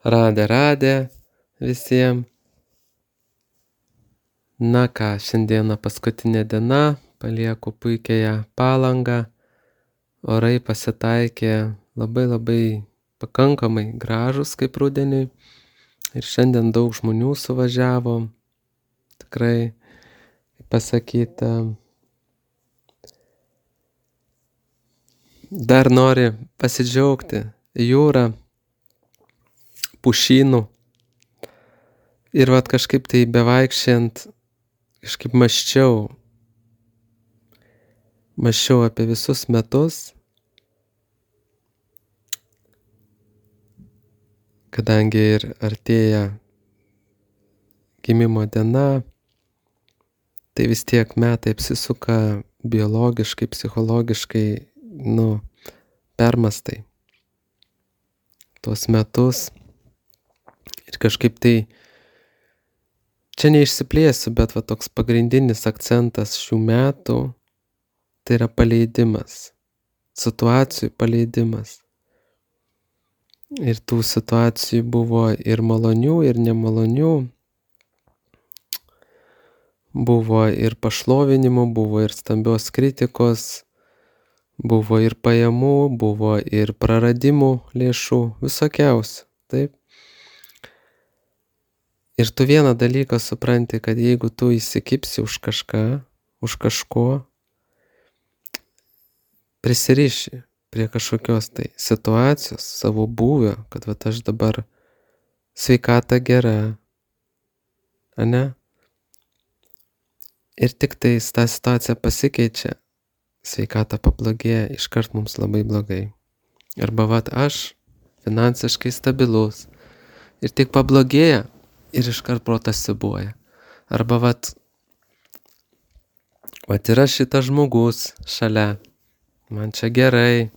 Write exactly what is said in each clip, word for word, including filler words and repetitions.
Radė, radė visiems. Na ką, šiandieną paskutinė diena, palieku puikiąją Palangą. Orai pasitaikė labai labai pakankamai gražus kaip rudeniui. Ir šiandien daug žmonių suvažiavo. Tikrai, kaip pasakyta, dar nori pasidžiaugti jūrą, pušynų. Ir vat kažkaip tai bevaikščiant, kažkaip mąsčiau, mąsčiau apie visus metus, kadangi ir artėja gimimo diena, tai vis tiek metai apsisuka biologiškai, psichologiškai, nu, permastai tuos metus. Ir kažkaip tai, čia neišsiplėsiu, bet va toks pagrindinis akcentas šių metų, tai yra paleidimas, situacijų paleidimas. Ir tų situacijų buvo ir malonių, ir nemalonių. Buvo ir pašlovinimų, buvo ir stambios kritikos, buvo ir pajamų, buvo ir praradimų lėšų, visokiausių, taip. Ir tu vieną dalyką supranti, kad jeigu tu įsikibsi už kažką, už kažko, prisiriši prie kažkokios tai situacijos, savo būvio, kad va aš dabar sveikata gera, ane? Ir tik tai ta situacija pasikeičia, sveikata pablogėja, iškart mums labai blogai. Arba vat aš finansiškai stabilus ir tik pablogėja ir iškart protas siūbuoja. Arba vat, vat yra šitas žmogus šalia, man čia gerai,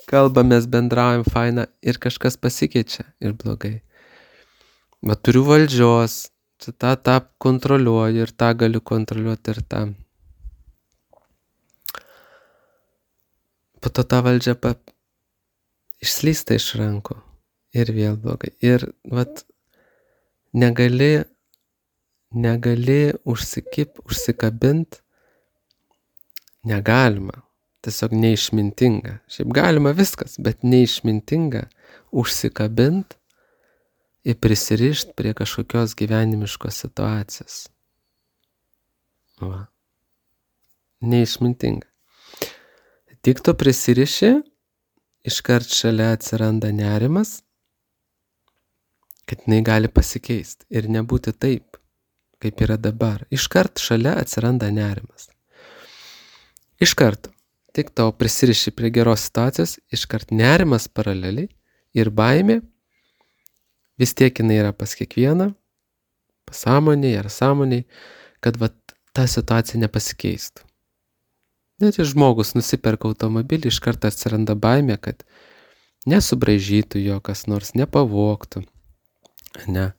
kalbamės, bendraujam, faina ir kažkas pasikeičia ir blogai. Vat turiu valdžios, čia tą, tą kontroliuoju ir tą galiu kontroliuoti ir tą. Po to ta valdžia pa, išslysta iš rankų ir vėl blogai. Ir vat negali, negali užsikip, užsikabint, negalima, tiesiog neišmintinga. Šiaip galima viskas, bet neišmintinga užsikabint ir prisirišt prie kažkokios gyvenimiškos situacijos. Va. Neišmintinga. Tik tu prisiriši, iškart šalia atsiranda nerimas, kad jinai gali pasikeisti ir nebūti taip, kaip yra dabar. Iškart šalia atsiranda nerimas. Iškart, tik tau prisiriši prie geros situacijos, iškart nerimas paraleliai ir baimė, vis tiek jinai yra pas kiekvieną, pasąmoniai ar sąmoniai, kad va, ta situacija nepasikeistų. Net ir žmogus nusiperka automobilį, iškart atsiranda baimė, kad nesubraižytų jo kas nors, nepavogtų. Ne.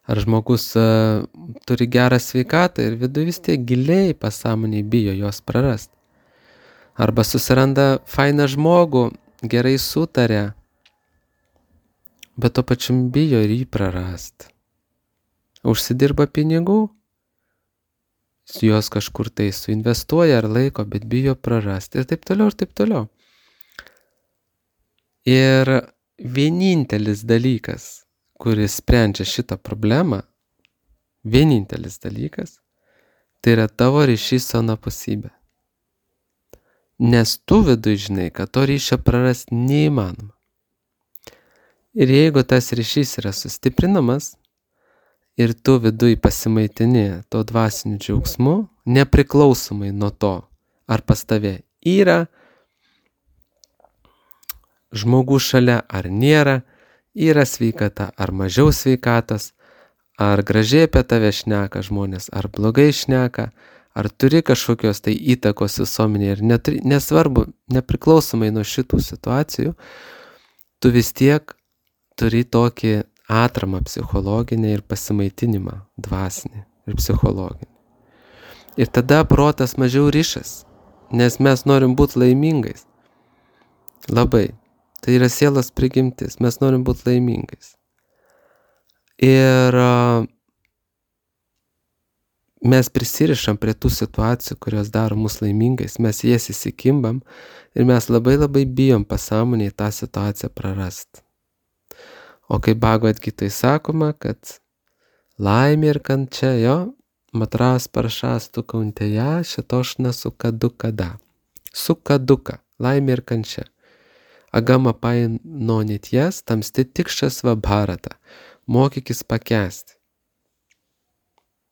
Ar žmogus uh, turi gerą sveikatą ir viduje vis tiek giliai pasąmoniai bijo jos prarast. Arba susiranda fainą žmogų, gerai sutarė, bet to pačiam bijo ir jį prarast. Užsidirba pinigų, juos kažkur tai suinvestuoja ar laiko, bet bijo prarasti ir taip toliau ir taip toliau. Ir vienintelis dalykas, kuris sprendžia šitą problemą, vienintelis dalykas, tai yra tavo ryšys su anapusybė. Nes tu viduj žinai, kad to ryšio prarasti neįmanoma. Ir jeigu tas ryšys yra sustiprinamas ir tu viduj pasimaitini to dvasiniu džiaugsmu, nepriklausomai nuo to, ar pas tave yra žmogus šalia ar nėra, yra sveikata ar mažiau sveikatas, ar gražiai apie tave šneka žmonės, ar blogai šneka, ar turi kažkokios tai įtakos visuomenėje ir neturi, nesvarbu, nepriklausomai nuo šitų situacijų, tu vis tiek turi tokį atramą psichologinį ir pasimaitinimą dvasinį ir psichologinį. Ir tada protas mažiau ryšas, nes mes norim būti laimingais. Labai. Tai yra sielos prigimtis. Mes norim būti laimingais. Ir mes prisirišam prie tų situacijų, kurios daro mus laimingais. Mes jas įsikimbam ir mes labai labai bijom pasąmonėj tą situaciją prarast. O kaip Bhagavad Gitoj sakoma, kad laimė ir kančia, jo, matras paršas tu kauntėja, šitošna sukaduka. Sukaduka, laimė ir kančia. Agama paino netijas, tamsti tikšas va bharata. Mokykis pakęsti.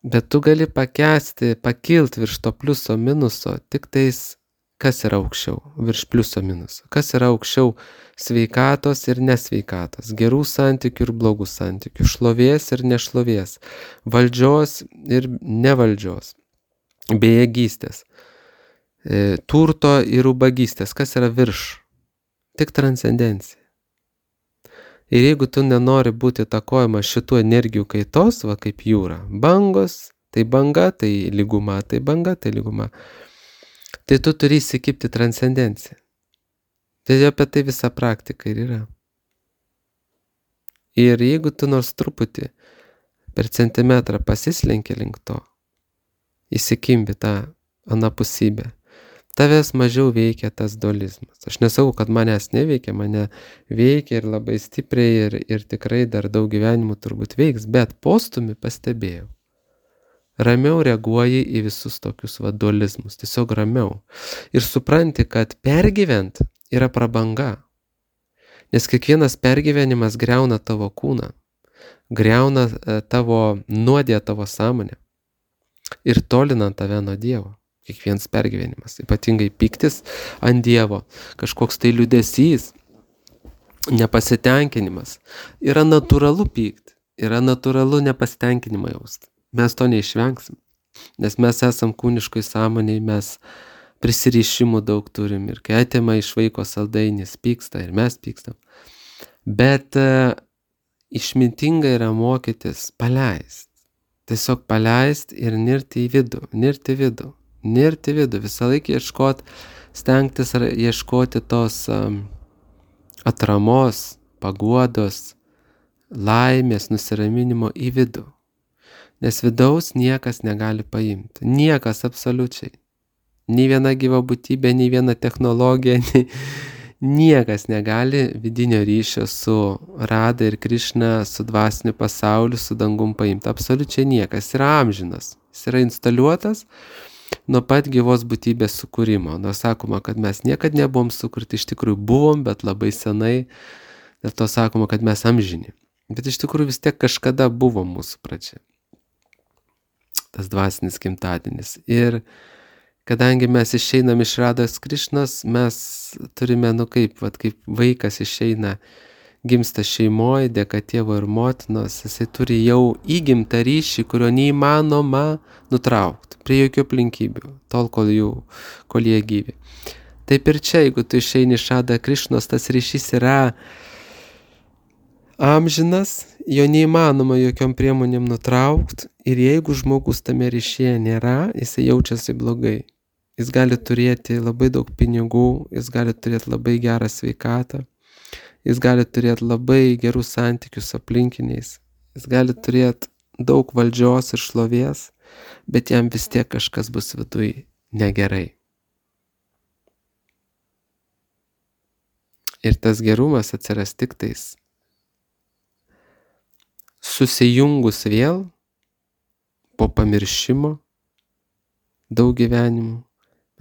Bet tu gali pakęsti, pakilt virš to pliuso minuso, tik tais, kas yra aukščiau, virš pliuso minuso. Kas yra aukščiau sveikatos ir nesveikatos, gerų santykių ir blogų santykių, šlovės ir nešlovės, valdžios ir nevaldžios, bejėgystės, turto ir ubagystės. Kas yra virš? Tik transcendencija. Ir jeigu tu nenori būti įtakojama šitų energijų kaitos, va kaip jūra, bangos, tai banga, tai lyguma, tai banga, tai lyguma, tai tu turi įsikibti transcendenciją. Tai apie tai visa praktika ir yra. Ir jeigu tu nors truputį per centimetrą pasislenki link to, įsikimbi tą anapusybę, tavęs mažiau veikia tas dualizmas. Aš nesakau, kad manęs neveikia, mane veikia ir labai stipriai ir, ir tikrai dar daug gyvenimų turbūt veiks, bet postumi pastebėjau. Ramiau reaguoji į visus tokius va dualizmus, tiesiog ramiau. Ir supranti, kad pergyvent yra prabanga. Nes kiekvienas pergyvenimas griauna tavo kūną, griauna tavo nuodė tavo sąmonę ir tolina tave nuo Dievo. Kiekvienas pergyvenimas, ypatingai pyktis ant Dievo, kažkoks tai liūdesys, nepasitenkinimas. Yra natūralu pykti, yra natūralu nepasitenkinimą jausti. Mes to neišvengsim, nes mes esam kūniškoj sąmonėj, mes prisirišimų daug turim ir kai atima iš vaiko saldainis, pyksta ir mes pykstam. Bet uh, išmintinga yra mokytis paleist, tiesiog paleist ir nirti į vidų, nirti į vidų. Nirti vidų, visą laiką ieškoti, stengtis ar ieškoti tos um, atramos, paguodos, laimės, nusiraminimo į vidų. Nes vidaus niekas negali paimti. Niekas absoliučiai. Nei viena gyva būtybė, nei viena technologija, nei, niekas negali vidinio ryšio su Rada ir Krišna, su dvasiniu pasauliu, su dangum paimti. Absoliučiai niekas. Jis yra amžinas. Jis yra instaliuotas nuo pat gyvos būtybės sukūrimo. Nors sakoma, kad mes niekad nebuvom sukurti, iš tikrųjų buvom, bet labai senai, dėl to sakoma, kad mes amžini. Bet iš tikrųjų vis tiek kažkada buvo mūsų pradžia. Tas dvasinis gimtadienis. Ir kadangi mes išeinam iš Rados Krišnos, mes turime, nu kaip, vat, kaip vaikas išeina, gimsta šeimoje, dėka tėvo ir motinos, jisai turi jau įgimtą ryšį, kurio neįmanoma nutraukti, prie jokių aplinkybių, tol, kol, jų, kol jie gyvi. Taip ir čia, jeigu tu išeini iš Rados Krišnos, tas ryšys yra amžinas, jo neįmanoma jokiom priemonėm nutraukti ir jeigu žmogus tame ryšyje nėra, jisai jaučiasi blogai. Jis gali turėti labai daug pinigų, jis gali turėti labai gerą sveikatą, jis gali turėti labai gerus santykius su aplinkiniais, jis gali turėti daug valdžios ir šlovės, bet jam vis tiek kažkas bus viduj negerai. Ir tas gerumas atsiras tik tais susijungus vėl po pamiršimo daug gyvenimų.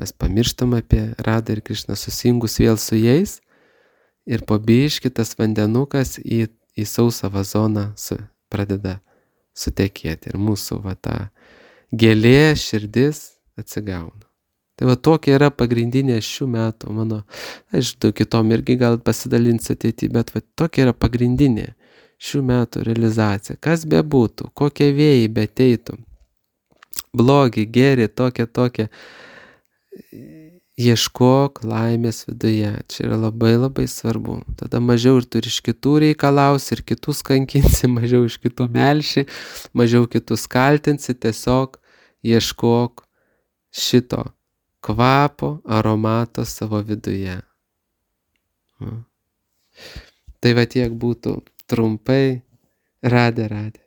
Mes pamirštam apie Radą ir Krišną, susijungus vėl su jais ir po biškį tas vandenukas į, į sausą vazoną su, pradeda sutekėti ir mūsų va ta gėlė, širdis atsigauna. Tai va tokia yra pagrindinė šių metų mano, aš daug kitom irgi gal pasidalinsiu ateity, bet va tokia yra pagrindinė šių metų realizacija. Kas bebūtų, kokie vėjai beteitų, blogi, geri, tokie, tokie, ieškok laimės viduje. Čia yra labai labai svarbu. Tada mažiau ir tu iš kitų reikalausi, ir kitus kankinsi, mažiau iš kitų melši, mažiau kitus kaltinsi, tiesiog ieškok šito kvapo, aromato savo viduje. Tai va tiek būtų trumpai. Radė, radė.